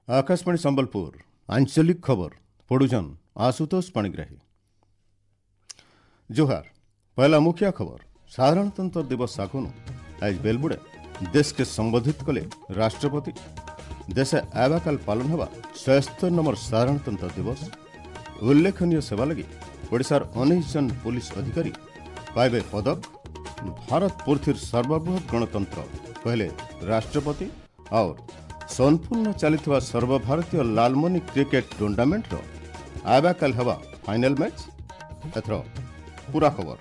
Akashvani Sambalpur आंचलिक खबर पढ़ुछन आशुतोष पाणिग्राही। जोहार। पहला मुख्य खबर। साधारणतंत्र दिवस आगनु आज बेलबुड़े देश के संबोधित कले राष्ट्रपति। देश आवाकाल पालन होगा 76 नंबर साधारणतंत्र दिवस। उल्लेखनीय सेवा लगी ओडिशार 19 जन पुलिस अधिकारी पाइबे पदक। भारत पृथ्वीर सर्वबृहत गणतंत्र कहले राष्ट्रपति। और सोनपुर में चली सर्वभारतीय लालमणि क्रिकेट टूर्नामेंटर आवाकाल हेवा फाइनाल मैच। एथर पूरा खबर।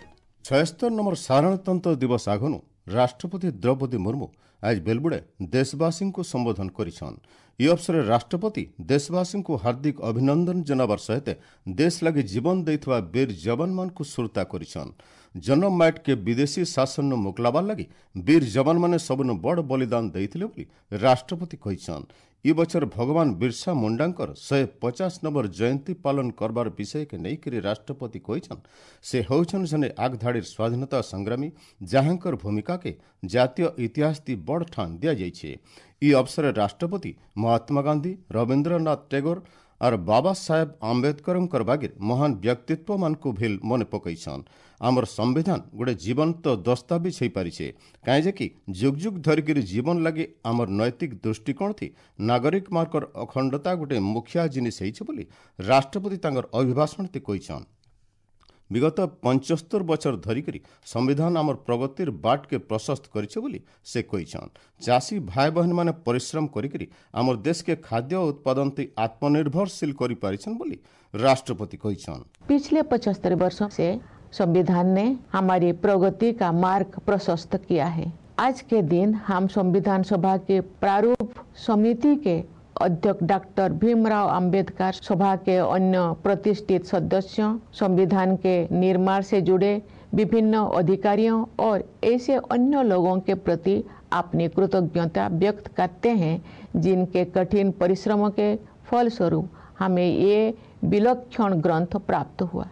76 नंबर साधारणतंत्र दिवस आगनु राष्ट्रपति द्रौपदी मुर्मू आज बेलबुड़े देशवासी को संबोधन करिछन। इ अवसर राष्ट्रपति देशवासी को हार्दिक अभिनंदन जनाबार सहित देश लगी जीवन देइथवा वीर जवान मान को सुरता करिछन। जन्म माइट के विदेशी शासन नु मुकलाबार लगी वीर जवान माने सबनु बड़ बलिदान देइथिले बोली राष्ट्रपति कहिछन। इ बछर भगवान बिरसा मुंडांकर 150 नंबर जयंती पालन करबार विषय के नईकरी राष्ट्रपति कहिछन से होउछन जने आगधाड़ीर स्वाधीनता संग्रामी जहांकर भूमिका के जातीय इतिहास ती बड़ ठान दिया जाइछे। इ अवसर राष्ट्रपति महात्मा गांधी, रविन्द्रनाथ टैगोर और बाबा साहेब आम्बेडकरଙ୍କର बागीर महान व्यक्तित्व मानକୁ ଭିଲ ମନେ ପକାଇଛନ୍। ଆମର संविधान गोटे जीवंत दस्तावेज हो पारिছে, काहे कि जुग जुग धरिकरी जीवन लागि आमर नैतिक दृष्टिकोण थी नागरिक मार्कर अखंडता गोटे मुखिया जिनिस ହେଇছে ବୋଲି राष्ट्रपति तांकर अभिभाषण ती कहिछन्। विगत 75 बछर धरिकरी संविधान आमर प्रगतिर बाट के प्रशस्त करिছে बोली से कहिछन। चाषी भाई बहन माने परिश्रम करिकरी आमर देश के खाद्य उत्पादन ती आत्मनिर्भरशील करि पारिछन बोली राष्ट्रपति कहिछन। पिछले 75 वर्षों से संविधान ने हमारी प्रगति का मार्ग प्रशस्त किया है। आज के दिन हम संविधान सभा के प्रारूप समिति के अध्यक्ष डॉक्टर भीमराव अंबेडकर, सभा के अन्य प्रतिष्ठित सदस्यों, संविधान के निर्माण से जुड़े विभिन्न अधिकारियों और ऐसे अन्य लोगों के प्रति अपनी कृतज्ञता व्यक्त करते हैं जिनके कठिन परिश्रमों के फलस्वरूप हमें ये विलक्षण ग्रंथ प्राप्त हुआ।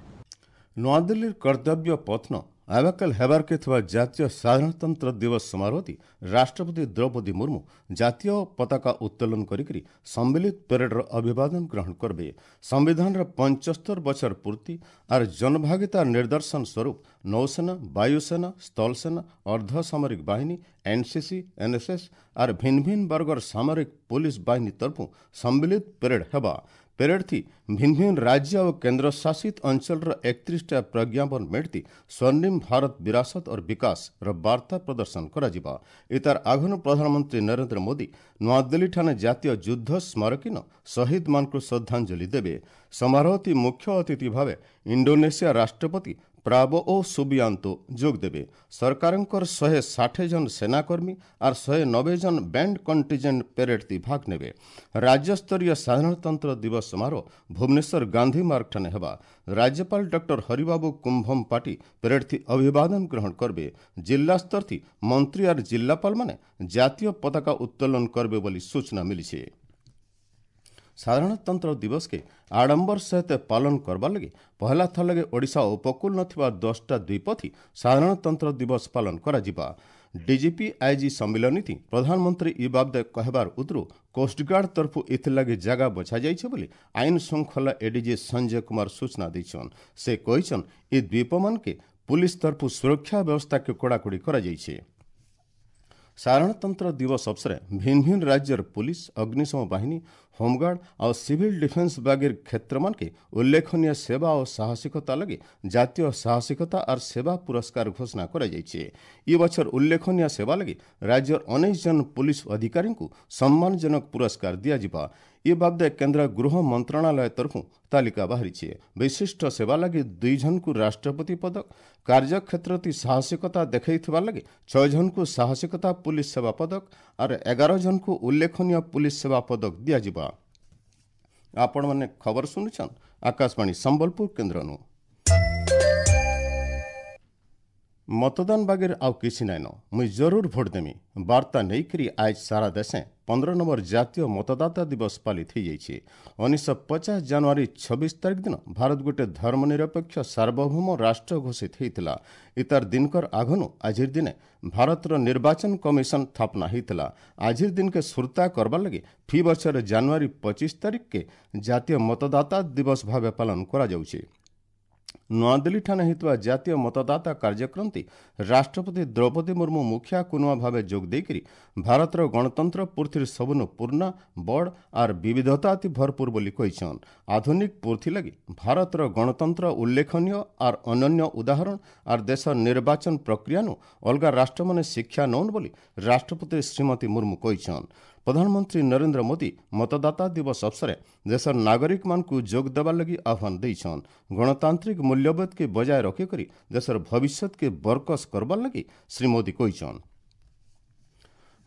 नवादिल्ली कर्तव्य पथन आवाकाल हेबार के थिबा जातीय साधारणतंत्र दिवस समारोह राष्ट्रपति द्रौपदी मुर्मू जातीय पताका उत्तोलन करिकरी सम्मिलित परेडर अभिवादन ग्रहण करबे। संविधानर 75 बछर पूर्ति और जनभागिता निर्दर्शन स्वरूप नौसेना, वायुसेना, स्थलसेना, अर्धसामरिक बाहिनी, एनसीसी, एनएसएस और भिन्न भिन्न वर्गर सामरिक पुलिस बाहिनी तरफू सम्मिलित परेड हेबा। परेड थी भिन्न भिन्न राज्य और केंद्र शासित अंचल 31टा प्रज्ञापन मेढ़ती स्वर्णिम भारत विरासत और विकास र वार्ता प्रदर्शन कराजिबा। इतार आघनु प्रधानमंत्री नरेंद्र मोदी नवादिल्ली ठाने जातीय युद्ध स्मारकीन शहीद मानକୁ श्रद्धांजलि देवे। समारोह थी मुख्य अतिथि भावे इंडोनेशिया राष्ट्रपति प्राबोओ सुबियांतो जोग देवे। सरकारଙ୍କର 160 जन सेनाकर्मी और 190 जन बैंड कंटिजेंट परेड ती भाग नेवे। राज्य स्तरीय साधारणतंत्र दिवस समारोह भुवनेश्वर गांधी मार्ग ठाने हेबा। राज्यपाल डॉक्टर हरिबाबू कुंभम पाटी परेड थी अभिवादन ग्रहण करबे। जिला स्तर थी मंत्री और जिलापाल माने जातीय पताका उत्तोलन करबे बोली सूचना मिलिছে। साधारणतंत्र दिवस के आडंबर सहित पालन करवा लगे पहला थर लगे ओडिशा उपकूल नथिबा 10टा द्वीपथी साधारणतंत्र दिवस पालन कराजिबा। डीजीपी आईजी सम्मिलनी थी प्रधानमंत्री इ बाबदे कहबार उतरू कोस्टगार्ड तरफू इथिलागि जागा बछा जाइছে बोली आइन श्रृंखला एडीजी संजय कुमार सूचना दैछन। से कहिछन इ द्वीपमान के पुलिस तरफू सुरक्षा व्यवस्था के कड़ाकड़ी करा जाइছে। साधारणतंत्र दिवस अवसर भिन्न भिन्न राज्यर पुलिस, अग्निशम बाहिनी, होमगार्ड और सिविल डिफेंस बागीर क्षेत्र मान के उल्लेखनीय सेवा और साहसिकता लगे जातीय साहसिकता और सेवा पुरस्कार घोषणा करा जाइছে। इ बछर उल्लेखनीय सेवा लगे राज्यर 19 जन पुलिस अधिकारी को सम्मानजनक पुरस्कार दियाजिबा। इ बाबदे केंद्र गृह मंत्रणालय तरफू तालिका बाहरिছে। विशिष्ट सेवा लगी 2 जन को राष्ट्रपति पदक, कार्यक्षेत्र ती साहसिकता देखैथिबा लगे 6 जन को साहसिकता पुलिस सेवा पदक और 11 जन को उल्लेखनीय पुलिस सेवा पदक दियाजिबा। आपण माने खबर सुनुछन आकाशवाणी संबलपुर केंद्र नु। मतदान बागेर आउ किसी नाइन, मुई जरूर भोट देमी बार्ता नेईकरी आज सारा देशे 15 ନମ୍ବର ଜାତୀୟ ମତଦାତା ଦିବସ ପାଳିତ ହୋଇଯାଇଛି। 1950 ଜାନୁଆରୀ 26 ତାରିଖ ଦିନ ଭାରତ ଗୋଟେ ଧର୍ମନିରପେକ୍ଷ ସାର୍ବଭୌମ ରାଷ୍ଟ୍ର ଘୋଷିତ ହୋଇଥିଲା। ଇତାର ଦିନକର ଆଘନୁ ଆଜିର ଦିନେ ଭାରତର ନିର୍ବାଚନ କମିଶନ ସ୍ଥାପନା ହୋଇଥିଲା। ଆଜିର ଦିନକେ ସୁରତା କରବାର ଲାଗି ଫି ବର୍ଷର ଜାନୁଆରୀ 25 ତାରିଖକେ ଜାତୀୟ ମତଦାତା ଦିବସ ଭାବେ ପାଳନ କରାଯାଉଛି। ନୂଆଦିଲ୍ଲୀଠାରେ ହେଉଥିବା ଜାତୀୟ ମତଦାତା କାର୍ଯ୍ୟକ୍ରମଟି ରାଷ୍ଟ୍ରପତି ଦ୍ରୌପଦୀ ମୁର୍ମୁ ମୁଖିଆ କୁନୁଆ ଭାବେ ଯୋଗ ଦେଇକରି ଭାରତର ଗଣତନ୍ତ୍ର ପୃଥିବୀର ସବୁନୁ ପୂର୍ଣ୍ଣ, ବଡ଼ ଆର୍ ବିବିଧତା ଅତି ଭରପୁର ବୋଲି କହିଛନ୍। ଆଧୁନିକ ପୃଥି ଲାଗି ଭାରତର ଗଣତନ୍ତ୍ର ଉଲ୍ଲେଖନୀୟ ଆର୍ ଅନନ୍ୟ ଉଦାହରଣ ଆର୍ ଦେଶର ନିର୍ବାଚନ ପ୍ରକ୍ରିୟାନୁ ଅଲଗା ରାଷ୍ଟ୍ରମାନେ ଶିକ୍ଷା ନଉନ୍ ବୋଲି ରାଷ୍ଟ୍ରପତି ଶ୍ରୀମତୀ ମୁର୍ମୁ କହିଛନ୍। ପ୍ରଧାନମନ୍ତ୍ରୀ ନରେନ୍ଦ୍ର ମୋଦି ମତଦାତା ଦିବସ ଅବସରେ ଦେଶର ନାଗରିକମାନଙ୍କୁ ଯୋଗ ଦେବାର ଲାଗି ଆହ୍ୱାନ ଦେଇଛନ୍। ଗଣତାନ୍ତ୍ରିକ ମୂଲ୍ୟବୋଧକେ ବଜାୟ ରଖିକରି ଦେଶର ଭବିଷ୍ୟତକେ ବରକସ କରବାର ଲାଗି ଶ୍ରୀ ମୋଦି କହିଛନ୍।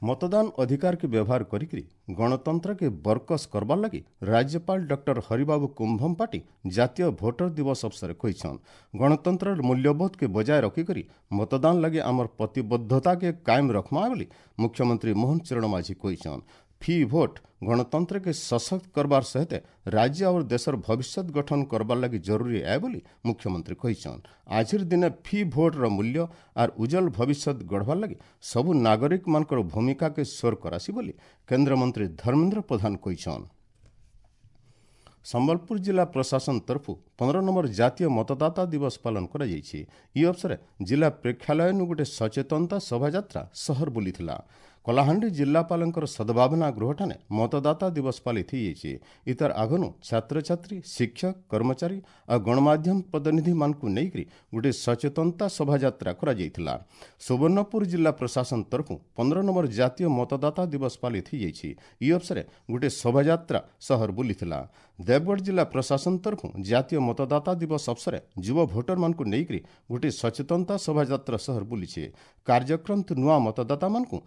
मतदान अधिकार के व्यवहार करिकरी गणतंत्र के बरकस करबार लगी राज्यपाल डॉक्टर हरिबाबू कुंभमपाटी जातीय भोटर दिवस अवसर कहिछन। गणतंत्र मूल्यबोध के बजाय रखिकरी मतदान लगी आमर प्रतिबद्धता के कायम रखमा बोली मुख्यमंत्री मोहन चरण माझी कहिछन। फी भोट गणतंत्र के सशक्त करबार सहित राज्य और देशर भविष्य गठन करबार लगी जरूरी है बोली मुख्यमंत्री कहिछन। आजिर दिने फी भोट र मूल्य are उज्जवल भविष्य गढ़बार लगी सबु नागरिक मानकर भूमिका के स्वर करासी बोली केंद्र मंत्री धर्मेंद्र प्रधान कहिछन। ସମ୍ବଲପୁର ଜିଲ୍ଲା ପ୍ରଶାସନ ତରଫରୁ 15 ନମ୍ବର ଜାତୀୟ ମତଦାତା ଦିବସ ପାଳନ କରାଯାଇଛି। ଏହି ଅବସରରେ ଜିଲ୍ଲା ପ୍ରେକ୍ଷାଳୟନୁ ଗୋଟେ ସଚେତନତା ଶୋଭାଯାତ୍ରା ସହର ବୁଲିଥିଲା। କଳାହାଣ୍ଡି ଜିଲ୍ଲାପାଳଙ୍କର ସଦ୍ଭାବନା ଗୃହଠାରେ ମତଦାତା ଦିବସ ପାଳିତ ହୋଇଯାଇଛି। ଇତାର ଆଗନୁ ଛାତ୍ରଛାତ୍ରୀ, ଶିକ୍ଷକ, କର୍ମଚାରୀ ଆଉ ଗଣମାଧ୍ୟମ ପ୍ରତିନିଧିମାନଙ୍କୁ ନେଇକରି ଗୋଟେ ସଚେତନତା ଶୋଭାଯାତ୍ରା କରାଯାଇଥିଲା। ସୁବର୍ଣ୍ଣପୁର ଜିଲ୍ଲା ପ୍ରଶାସନ ତରଫରୁ 15 ନମ୍ବର ଜାତୀୟ ମତଦାତା ଦିବସ ପାଳିତ ହୋଇଯାଇଛି। ଏହି ଅବସରରେ ଗୋଟେ ଶୋଭାଯାତ୍ରା ସହର ବୁଲିଥିଲା। ଦେବଗଡ଼ ଜିଲ୍ଲା ପ୍ରଶାସନ ତରଫରୁ ଜାତୀୟ ମତଦାତା ଦିବସ ଅବସରରେ ଯୁବ ଭୋଟରମାନଙ୍କୁ ନେଇକରି ଗୋଟେ ସଚେତନତା ଶୋଭାଯାତ୍ରା ସହର ବୁଲିଛି। କାର୍ଯ୍ୟକ୍ରମ ନୂଆ ମତଦାତାମାନଙ୍କୁ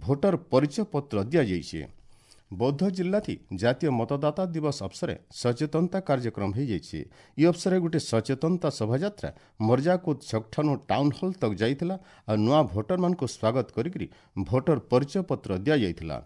ଭୋଟର ପରିଚୟ ପତ୍ର ଦିଆଯାଇଛି। ବୌଦ୍ଧ ଜିଲ୍ଲାଥି ଜାତୀୟ ମତଦାତା ଦିବସ ଅବସରରେ ସଚେତନତା କାର୍ଯ୍ୟକ୍ରମ ହୋଇଯାଇଛି। ଏହି ଅବସରରେ ଗୋଟେ ସଚେତନତା ଶୋଭାଯାତ୍ରା ମର୍ଜାକୁଦ ଛକଠାନୁ ଟାଉନ୍ ହଲ୍ ତକ୍ ଯାଇଥିଲା ଆଉ ନୂଆ ଭୋଟରମାନଙ୍କୁ ସ୍ୱାଗତ କରିକରି ଭୋଟର ପରିଚୟ ପତ୍ର ଦିଆଯାଇଥିଲା।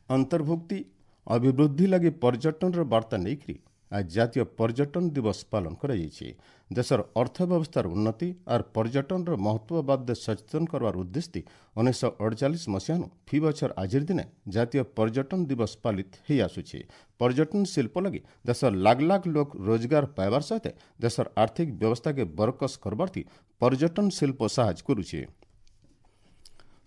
ଅନ୍ତର୍ଭୁକ୍ତି ଅଭିବୃଦ୍ଧି ଲାଗି ପର୍ଯ୍ୟଟନର ବାର୍ତ୍ତା ନେଇକରି ଆଜି ଜାତୀୟ ପର୍ଯ୍ୟଟନ ଦିବସ ପାଳନ କରାଯାଇଛି। ଦେଶର ଅର୍ଥବ୍ୟବସ୍ଥାର ଉନ୍ନତି ଆର୍ ପର୍ଯ୍ୟଟନର ମହତ୍ତ୍ୱ ବାବଦେ ସଚେତନ କରବାର ଉଦ୍ଦେଶ୍ୟ 1948 ମସିହାନୁ ଫି ବଛର ଆଜିର ଦିନେ ଜାତୀୟ ପର୍ଯ୍ୟଟନ ଦିବସ ପାଳିତ ହେଇ ଆସୁଛି। ପର୍ଯ୍ୟଟନ ଶିଳ୍ପ ଲାଗି ଦେଶର ଲାଖ ଲାଖ ଲୋକ ରୋଜଗାର ପାଇବାର ସହିତ ଦେଶର ଆର୍ଥିକ ବ୍ୟବସ୍ଥାକେ ବରକସ କରବାର୍ଥି ପର୍ଯ୍ୟଟନ ଶିଳ୍ପ ସାହାଯ୍ୟ କରୁଛି।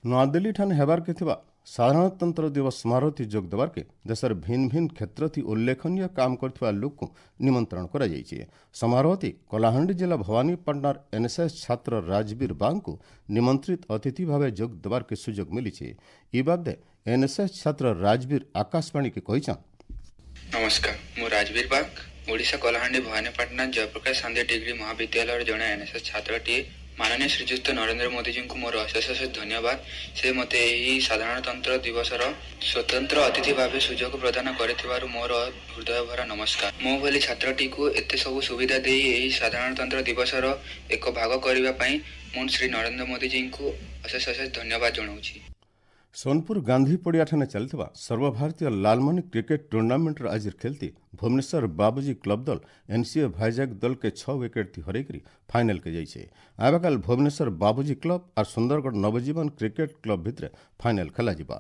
ନୂଆଦିଲ୍ଲୀଠାନେ ହେବାର୍କେ ଥିବା ସାଧାରଣତନ୍ତ୍ର ଦିବସ ସମାରୋହଥି ଯୋଗ ଦେବାର୍କେ ଦେଶର ଭିନ୍ନ ଭିନ୍ନ କ୍ଷେତ୍ରଥି ଉଲ୍ଲେଖନୀୟ କାମ କରିଥିବା ଲୋକଙ୍କୁ ନିମନ୍ତ୍ରଣ କରାଯାଇଛି। ସମାରୋହଥି କଳାହାଣ୍ଡି ଜିଲ୍ଲା ଭବାନୀପାଟଣାର ଏନ୍ଏସ୍ଏସ୍ ଛାତ୍ର ରାଜବୀର ବାଗଙ୍କୁ ନିମନ୍ତ୍ରିତ ଅତିଥି ଭାବେ ଯୋଗ ଦେବାର୍କେ ସୁଯୋଗ ମିଳିଛି। ଇ ବାବଦେ ଏନ୍ଏସ୍ଏସ୍ ଛାତ୍ର ରାଜବୀର ଆକାଶବାଣୀକେ କହିଛନ୍। ନମସ୍କାର, ମୁଁ ରାଜବୀର ବାଗ, ଓଡ଼ିଶା କଳାହାଣ୍ଡି ଭବାନୀପାଟଣା ଜୟପ୍ରକାଶ ସାନ୍ଧ୍ୟ ଡିଗ୍ରୀ ମହାବିଦ୍ୟାଳୟର ଜଣେ ଏନ୍ଏସ୍ଏସ୍ ଛାତ୍ରଟିଏ। ମାନନୀୟ ଶ୍ରୀଯୁକ୍ତ ନରେନ୍ଦ୍ର ମୋଦିଜୀଙ୍କୁ ମୋର ଅଶେଷ ଅଶେଷ ଧନ୍ୟବାଦ। ସେ ମୋତେ ଏହି ସାଧାରଣତନ୍ତ୍ର ଦିବସର ସ୍ୱତନ୍ତ୍ର ଅତିଥି ଭାବେ ସୁଯୋଗ ପ୍ରଦାନ କରିଥିବାରୁ ମୋର ହୃଦୟଭରା ନମସ୍କାର। ମୋ ଭଳି ଛାତ୍ରଟିକୁ ଏତେ ସବୁ ସୁବିଧା ଦେଇ ଏହି ସାଧାରଣତନ୍ତ୍ର ଦିବସର ଏକ ଭାଗ କରିବା ପାଇଁ ମୁଁ ଶ୍ରୀ ନରେନ୍ଦ୍ର ମୋଦିଜୀଙ୍କୁ ଅଶେଷ ଅଶେଷ ଧନ୍ୟବାଦ ଜଣାଉଛି। ସୋନପୁର ଗାନ୍ଧୀ ପଡ଼ିଆଠାରେ ଚାଲିଥିବା ସର୍ବଭାରତୀୟ ଲାଲମଣି କ୍ରିକେଟ ଟୁର୍ଣ୍ଣାମେଣ୍ଟର ଆଜିର ଖେଳତି ଭୁବନେଶ୍ୱର ବାବୁଜୀ କ୍ଲବ ଦଳ ଏନ୍ସିଏ ଭାଇଜାଗ ଦଳକେ 6 ୱିକେଟ୍ ହରାଇକରି ଫାଇନାଲକେ ଯାଇଛି। ଆବାକାଲ ଭୁବନେଶ୍ୱର ବାବୁଜୀ କ୍ଲବ ଆର୍ ସୁନ୍ଦରଗଡ଼ ନବଜୀବନ କ୍ରିକେଟ କ୍ଲବ ଭିତରେ ଫାଇନାଲ ଖେଳାଯିବା।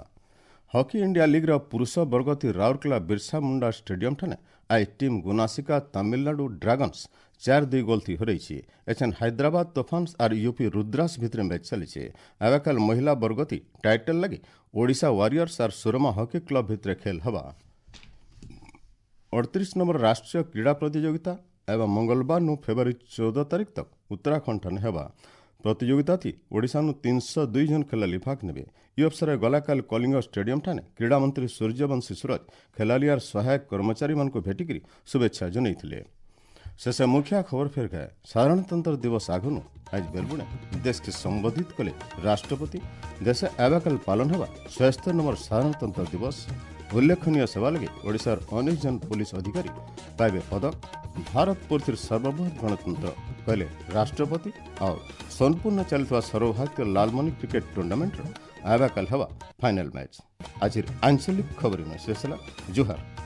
ହକି ଇଣ୍ଡିଆ ଲିଗ୍ର ପୁରୁଷ ବର୍ଗତି ରାଉରକେଲା ବିର୍ସା ମୁଣ୍ଡା ଷ୍ଟାଡିୟମଠାରେ ଆଜି ଟିମ୍ ଗୁନାସିକା ତାମିଲନାଡୁ ଡ୍ରାଗନ୍ସ 4-2 ଗୋଲ ଥି ହରାଇଛି। ଏଛେନ୍ ହାଇଦ୍ରାବାଦ ତୋଫାନ୍ସ ଆର୍ ୟୁପି ରୁଦ୍ରାସ ଭିତରେ ମ୍ୟାଚ୍ ଚାଲିছে। ଆବାକାଲ ମହିଳା ବର୍ଗତି ଟାଇଟଲ ଲାଗି ଓଡ଼ିଶା ୱାରିୟର୍ସ ଆର୍ ସୁରମା ହକି କ୍ଲବ ଭିତରେ ଖେଲ ହେବା। 38 ନମ୍ବର ରାଷ୍ଟ୍ରୀୟ କ୍ରୀଡ଼ା ପ୍ରତିଯୋଗିତା ଏବଂ ମଙ୍ଗଳବାର ନୁ ଫେବୃଆରୀ 14 ତାରିଖ ତକ ଉତ୍ତରାଖଣ୍ଡ ହେବା। ପ୍ରତିଯୋଗିତାଥି ଓଡ଼ିଶାନୁ 302 ଜଣ ଖେଳାଳି ଭାଗ ନେବେ। ଏହି ଅବସରରେ ଗଲାକାଲି କଳିଙ୍ଗ ଷ୍ଟାଡିୟମଠାରେ କ୍ରୀଡ଼ାମନ୍ତ୍ରୀ ସୂର୍ଯ୍ୟବଂଶୀ ସୁରଜ ଖେଳାଳି ଆର୍ ସହାୟକ କର୍ମଚାରୀମାନଙ୍କୁ ଭେଟିକରି ଶୁଭେଚ୍ଛା ଜଣାଇଥିଲେ। ଶେଷ ମୁଖ୍ୟ ଖବର ଫେର ଗए। ସାଧାରଣତନ୍ତ୍ର ଦିବସ ଆଗନୁ ଆଜି ବେଲବୁଣେ ଦେଶକେ ସମ୍ବୋଧିତ କଲେ ରାଷ୍ଟ୍ରପତି। ଦେଶ ଆବାକାଲ ପାଳନ ହେବା 76 ନମ୍ବର ସାଧାରଣତନ୍ତ୍ର ଦିବସ। ଉଲ୍ଲେଖନୀୟ ସେବା ଲାଗି ଓଡ଼ିଶାର ଅନେକ ଜଣ ପୋଲିସ ଅଧିକାରୀ ପାଇବେ ପଦକ। ଭାରତ ପୃଥିବୀର ସର୍ବବୃହତ ଗଣତନ୍ତ୍ର କହିଲେ ରାଷ୍ଟ୍ରପତି। ଆଉ ସୋନପୁରରେ ଚାଲିଥିବା ସର୍ବଭାରତୀୟ ଲାଲମଣି କ୍ରିକେଟ ଟୁର୍ଣ୍ଣାମେଣ୍ଟର आवा काल हवा फाइनल मैच। आज आंचलिक खबर शेष। जोहार।